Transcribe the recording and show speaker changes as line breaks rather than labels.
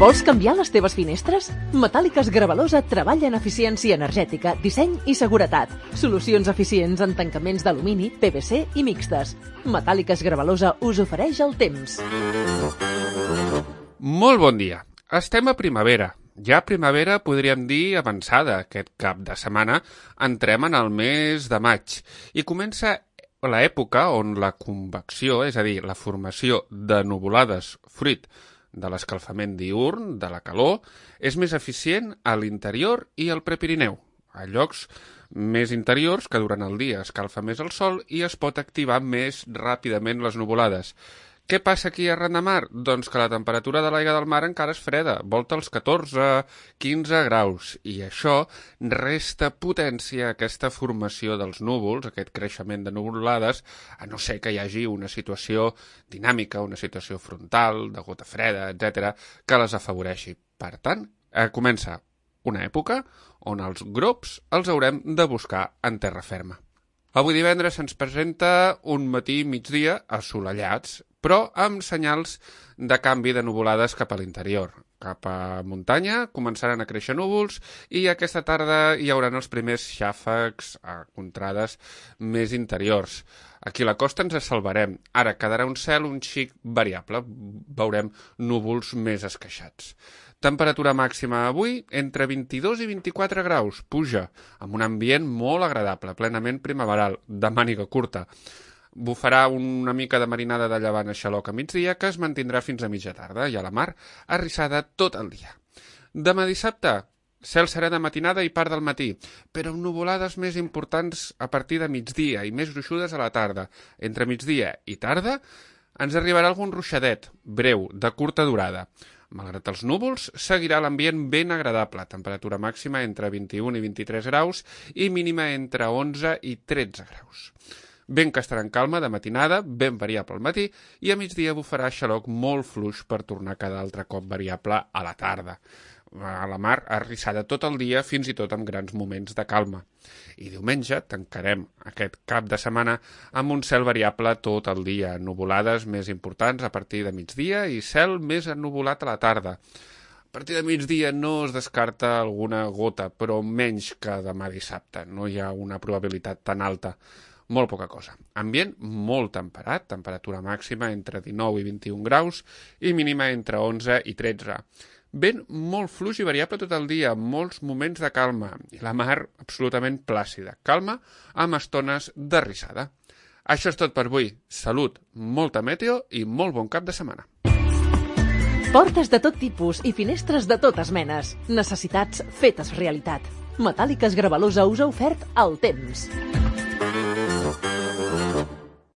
Vols canviar les teves finestres? Metàl·liques Gravalosa treballa en eficiència energètica, disseny i seguretat. Solucions eficients en tancaments d'alumini, PVC i mixtes. Metàl·liques Gravalosa us ofereix el temps.
Molt bon dia. Estem a primavera. Ja primavera podríem dir avançada. Aquest cap de setmana entrem en el mes de maig i comença l'època on la convecció, és a dir, la formació de nuvolades fruit de l'escalfament diürn, de la calor, és més eficient a l'interior i al Prepirineu, a llocs més interiors que durant el dia escalfa més el sol i es pot activar més ràpidament les nuvolades. Què passa aquí arran de mar? Doncs que la temperatura de l'aigua del mar encara és freda, volta els 14-15 graus, i això resta potència a aquesta formació dels núvols, aquest creixement de nuvolades, a no ser que hi hagi una situació dinàmica, una situació frontal, de gota freda, etc., que les afavoreixi. Per tant, comença una època on els grops els haurem de buscar en terra ferma. Avui divendres se'ns presenta un matí i migdia assolellats, però amb senyals de canvi de nuvolades cap a l'interior. Cap a muntanya començaran a créixer núvols i aquesta tarda hi haurà els primers xàfecs a contrades més interiors. Aquí a la costa ens salvarem. Ara quedarà un cel un xic variable. Veurem núvols més esqueixats. Temperatura màxima avui entre 22 i 24 graus. Puja, amb un ambient molt agradable, plenament primaveral, de màniga curta. Bufarà una mica de marinada de llevant a xaloc a migdia que es mantindrà fins a mitja tarda i a la mar arrissada tot el dia. Demà dissabte, cel serè de matinada i part del matí, però amb nuvolades més importants a partir de migdia i més gruixudes a la tarda. Entre migdia i tarda ens arribarà algun ruixadet, breu, de curta durada. Malgrat els núvols, seguirà l'ambient ben agradable, temperatura màxima entre 21 i 23 graus i mínima entre 11 i 13 graus. Vent que estarà en calma de matinada, ben variable al matí, i a migdia bufarà xaloc molt fluix per tornar cada altre cop variable a la tarda. A la mar arrissada tot el dia, fins i tot amb grans moments de calma. I diumenge tancarem aquest cap de setmana amb un cel variable tot el dia, nuvolades més importants a partir de migdia i cel més ennuvolat a la tarda. A partir de migdia no es descarta alguna gota, però menys que demà dissabte. No hi ha una probabilitat tan alta. Molt poca cosa. Ambient molt temperat, temperatura màxima entre 19 i 21 graus i mínima entre 11 i 13. Vent molt fluix i variable tot el dia, molts moments de calma i la mar absolutament plàcida, calma amb estones d'arrissada. Això és tot per avui. Salut, molta meteo i molt bon cap de setmana.
Portes de tot tipus i finestres de totes menes. Necessitats fetes realitat. Metàl·liques Gravalosa us ha ofert el temps.